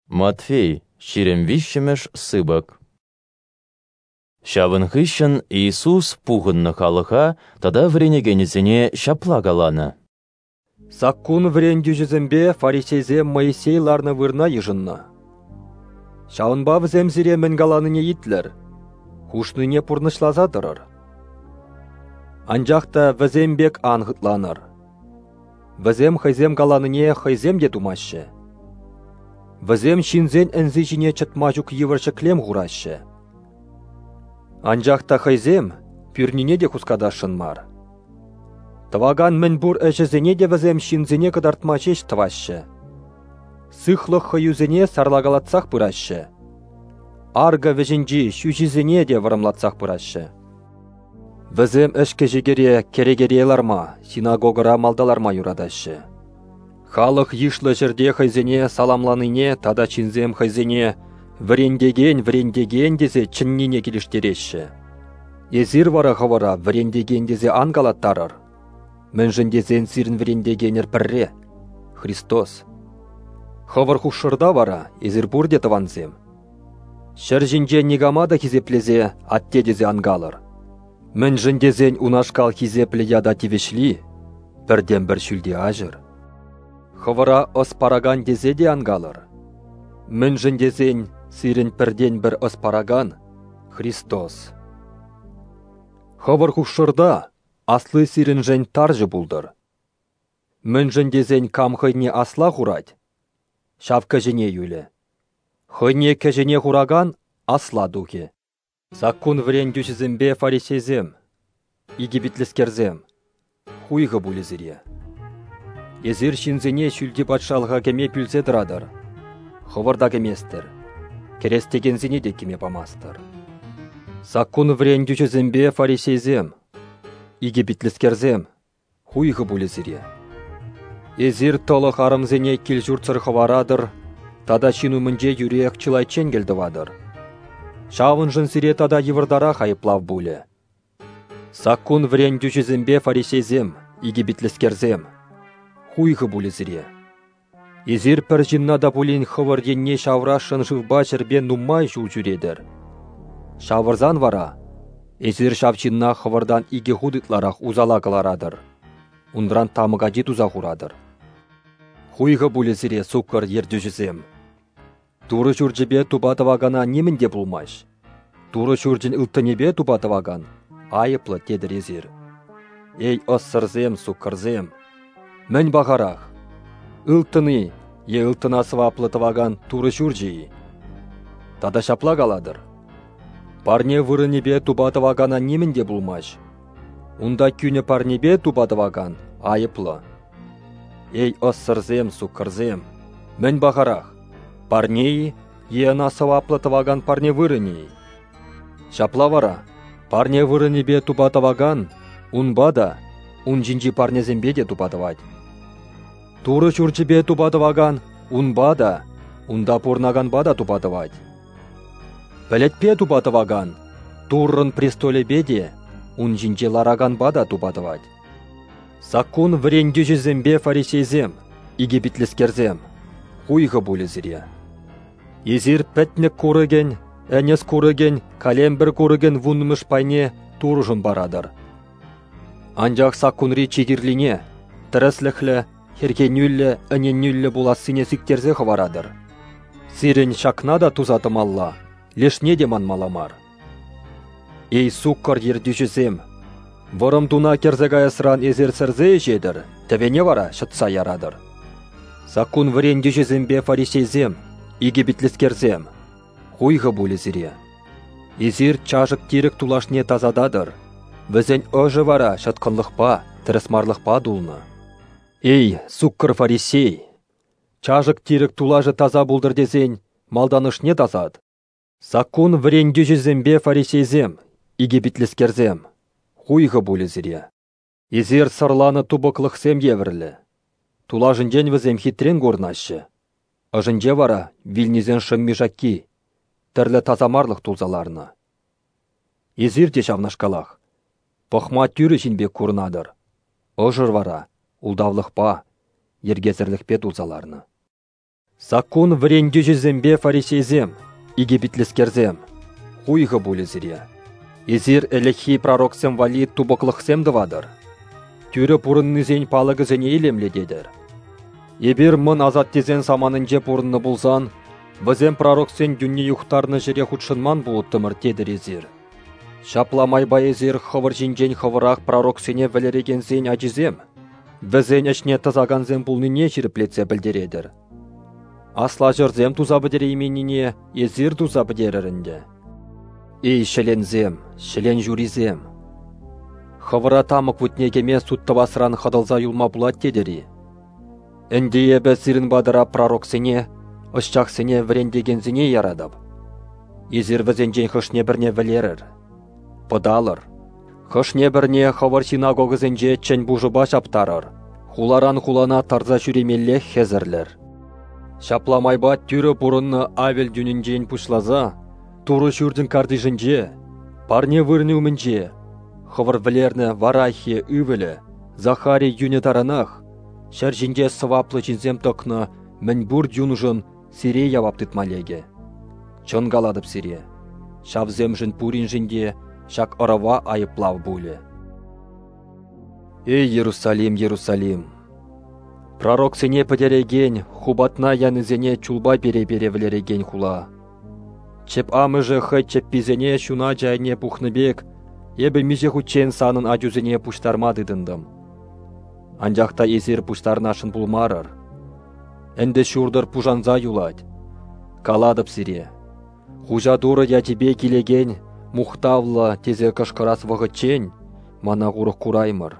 Матфей, 23-мӗш сыпӑк. Ҫавӑн хыҫҫӑн Иисус пухӑннӑ халӑха тата вӗренекенӗсене ҫапла каланӑ: Саккун вӗрентӳҫӗсемпе фарисейсем Моисей ларнӑ вырӑна йышӑннӑ. Ҫавӑнпа вӗсем сире мӗн каланине итлӗр, хушнине пурнӑҫласа тӑрӑр. Анчах та вӗсем пек ан хӑтланӑр. Вӗсем хӑйсем каланине хӑйсем те тумаҫҫӗ. Вӗсем ҫынсен ӗнси ҫине чӑтма ҫук йывӑр ҫӗклем хураҫҫӗ. Анчах та хӑйсем пӳрнине те хускатасшӑн мар. Тӑвакан мӗнпур ӗҫӗсене те вӗсем ҫынсене кӑтартма ҫеҫ тӑваҫҫӗ. Сыхлӑх хӑюсене сарлакалатсах пыраҫҫӗ. Аркӑ вӗҫӗнчи ҫӳҫисене те вӑрӑмлатсах пыраҫҫӗ. Вӗсем ӗҫкӗ-ҫикӗре кӗрекере ларма, синагогӑра малта ларма юратаҫҫӗ. Халӑх йышлӑ ҫӗрте хӑйсене саламланине тата ҫынсем хӑйсене «вӗрентекен, вӗрентекен» тесе чӗннине килӗштереҫҫӗ. Эсир вара хӑвӑра вӗрентекен тесе ан калаттарӑр. Мӗншӗн тесен сирӗн вӗрентекенӗр пӗрре – Христос. Хӑвӑр хушшӑрта вара эсир пурте тӑвансем. Ҫӗр ҫинче никама та хисеплесе атте тесе ан калӑр. Мӗншӗн тесен унашкал хисеплӗ ята тивӗҫли пӗртен-пӗр ҫӳлти аҫӑр. Хӑвӑра ӑс паракан тесе те ан калӑр. Мӗншӗн тесен сирӗн пӗртен-пӗр ӑс паракан – Христос. Хӑвӑр хушшӑрта асли сирӗншӗн тарҫӑ пултӑр. Мӗншӗн тесен кам хӑйне асла хурать, ҫав кӗҫӗне юлӗ. Хӑйне кӗҫӗне хуракан асла тухӗ. Саккун вӗрентӳҫӗсемпе фарисейсем, икӗпитлӗскерсем, хуйхӑ пулӗ сире. Эсир ҫынсене ҫӳлти патшалӑха кӗме пӳлсе тӑратӑр, хӑвӑр та кӗместӗр, кӗрес текенсене те кӗме памастӑр. Саккун вӗрентӳҫӗсемпе фарисейсем, икӗпитлӗскерсем, хуйхӑ пулӗ сире. Эсир тӑлӑх арӑмсене кил-ҫуртсӑр хӑваратӑр тата ҫын умӗнче юриех чылайччен кӗлтӑватӑр. Ҫавӑншӑн сире тата йывӑртарах айӑплав пулӗ. Саккун вӗрентӳҫӗсемпе фарисейсем, икӗпитлӗскерсем, хуйхӑ пулӗ сире. Эсир пӗр ҫынна та пулин хӑвӑр енне ҫавӑрасшӑн шывпа ҫӗрпе нумай ҫул ҫӳретӗр. Ҫавӑрсан вара эсир ҫав ҫынна хӑвӑртан икӗ хут ытларах усала кӑларатӑр, унран тамӑк ачи туса хуратӑр. Хуйхӑ пулӗ сире, суккӑр ертӳҫӗсем! Турӑ ҫурчӗпе тупа тӑвакана нимӗн те пулмасть. Турӑ ҫурчӗн ылтӑнӗпе тупа тӑвакан айӑплӑ тетӗр эсир. Эй, ӑссӑрсем, суккӑрсем! Мӗн пахарах? Ылтӑн-и е ылтӑна сӑваплӑ тӑвакан Турӑ ҫурчӗ-и? Тата ҫапла калатӑр: парне вырӑнӗпе тупа тӑвакана нимӗн те пулмасть. Унта кӳнӗ парнепе тупа тӑвакан айӑплӑ. Эй, ӑссӑрсем, суккӑрсем! Мӗн пахарах? Парне-и е ӑна сӑваплӑ тӑвакан парне вырӑнӗ-и? Ҫапла вара, парне вырӑнӗпе тупа тӑвакан унпа та, ун ҫинчи парнесемпе те тупа тӑвать. Турӑ ҫурчӗпе тупа тӑвакан унпа та, унта пурӑнаканпа та тупа тӑвать. Пӗлӗтпе тупа тӑвакан Туррӑн престолӗпе те, ун ҫинче лараканпа та тупа тӑвать. Саккун вӗрентӳҫӗсемпе фарисейсем, икӗпитлӗскерсем, хуйхӑ пулӗ сире. Эсир пӗтнӗк курӑкӗн, ӗнес курӑкӗн, калемпӗр курӑкӗн вуннӑмӗш пайне Турӑшӑн паратӑр. Анчах саккунри чи кирлине, тӗрӗслӗхлӗ, хӗрхенӳллӗ, ӗненӳллӗ пулассине сиктерсе хӑваратӑр. Сирӗн ҫакна та туса тӑмалла, лешне те манмалла мар. Эй, суккӑр ертӳҫӗсем! Вӑрӑм туна кӗрсе каясран эсир сӗрсе ӗҫетӗр, тӗвене вара ҫӑтса яратӑр. Саккун вӗрентӳҫӗсемпе фарисейсем, икӗпитлӗскерсем, хуйхӑ пулӗ сире. Эсир чашӑк-тирӗк тулашне тасататӑр, вӗсен ӑшӗ вара ҫӑткӑнлӑхпа, тӗрӗсмарлӑхпа тулнӑ. Эй, суккӑр фарисей! Чашӑк-тирӗк тулашӗ таса пултӑр тесен малтан ӑшне тасат. Саккун вӗрентӳҫӗсемпе фарисейсем, икӗпитлӗскерсем, хуйхӑ пулӗ сире. Эсир сӑрланӑ тупӑклӑхсем евӗрлӗ. Тулашӗнчен вӗсем хитрен курӑнаҫҫӗ. Ӑшӗнче вара вилнисен шӑмми-шакки, тӗрлӗ тасамарлӑх тулса ларнӑ. Эсир те ҫавнашкалах. Пӑхма тӳрӗ ҫын пек курӑнатӑр. Ӑшӑр вара ултавлӑхпа, йӗркесӗрлӗхпе тулса ларнӑ. Саккун вӗрентӳҫисемпе фарисейсем, икӗпитлӗскерсем, хуйхӑ пулӗ сире. Эсир ӗлӗкхи пророксем валли тупӑклӑхсем тӑватӑр, тӳрӗ пурӑннисен палӑкӗсене илемлететӗр. Эпир мӑн асаттесен саманинче пурӑннӑ пулсан, вӗсем пророксен юнне юхтарнӑ ҫӗре хутшӑнман пулӑттӑмӑр тетӗр эсир. Ҫапла майпа эсир хӑвӑр ҫинчен хӑвӑрах пророксене вӗлерекенсен ачисем, вӗсен ӗҫне тӑсакансем пулнине ҫирӗплетсе пӗлтеретӗр. Аслаҫӑрсем туса пӗтерейменнине эсир туса пӗтерӗр ӗнтӗ. Эй, ҫӗленсем, ҫӗлен ҫурисем! Хӑвӑра тамӑк вутне кӗме суд тӑвасран хӑтӑлса юлма пулать тетӗр-и? Ӗнтӗ эпӗ сирӗн патӑра пророксене, ӑсчахсене вӗрентекенсене яратӑп. Эсир вӗсенчен хӑшне-пӗрне вӗлерӗр, пӑталӑр, хӑшне-пӗрне хӑвӑр синагогӑсенче чӗн пушӑпа ҫаптарӑр, хуларан хулана тарса ҫӳремеллех хӗсӗрлӗр. Ҫапла майпа тӳрӗ пурӑннӑ Авель юнӗнчен пуҫласа Турӑ ҫурчӗн картишӗнче, парне вырӑнӗ умӗнче, хӑвӑр вӗлернӗ Варахия ывӑлӗ Захария юнӗ таранах ҫӗр ҫинче сӑваплӑ ҫынсем тӑкнӑ мӗнпур юншӑн сире явап тытма лекӗ. Чӑн калатӑп сире, ҫавсемшӗн пуриншӗн те ҫак ӑрӑва айӑплав пулӗ. Эй, Иерусалим, Иерусалим! Пророксене пӗтерекен, хупатна янисене чулпа пере-пере вӗлерекен хула! Чӗп амӑшӗ хӑй чӗпписене ҫуначӗ айне пухнӑ пек, эпӗ миҫе хутчен санӑн ачусене пуҫтарма тытӑнтӑм. Анчах та эсир пуҫтарнасшӑн пулмарӑр. Ӗнтӗ ҫуртӑр пушанса юлать. Калатӑп сире, хуҫа Турӑ ячӗпе килекен мухтавлӑ тесе кӑшкӑрас вӑхӑтчен мана урӑх кураймӑр.